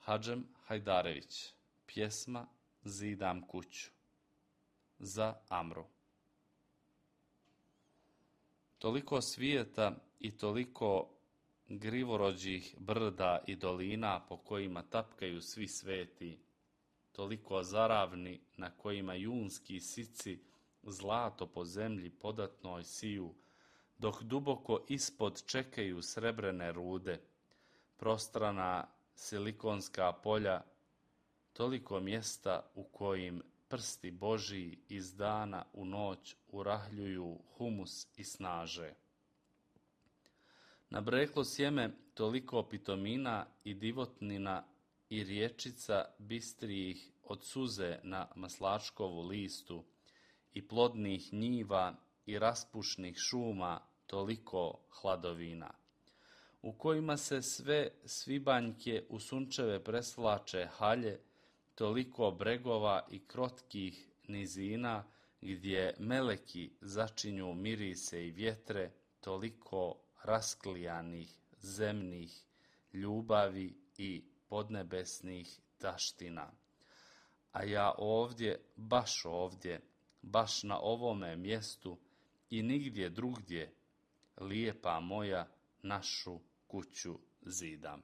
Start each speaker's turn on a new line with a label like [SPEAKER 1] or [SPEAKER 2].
[SPEAKER 1] Hadžem Hajdarević. Pjesma Zidam kuću. Za Amru. Toliko svijeta i toliko grivorođih brda i dolina po kojima tapkaju svi sveti, toliko zaravni na kojima junski sici zlato po zemlji podatnoj siju, dok duboko ispod čekaju srebrene rude, prostrana silikonska polja, toliko mjesta u kojim prsti Božji iz dana u noć urahljuju humus i snaže. Nabreklo sjeme toliko pitomina i divotnina i riječica bistrijih od suze na maslačkovu listu i plodnih njiva i raspušnih šuma toliko hladovina, u kojima se sve svibanjke u sunčeve presvlače halje, toliko bregova i krotkih nizina gdje meleki začinju mirise i vjetre, toliko rasklijanih zemnih ljubavi i podnebesnih taština. A ja ovdje, baš na ovome mjestu i nigdje drugdje, lijepa moja, našu kuću zidam.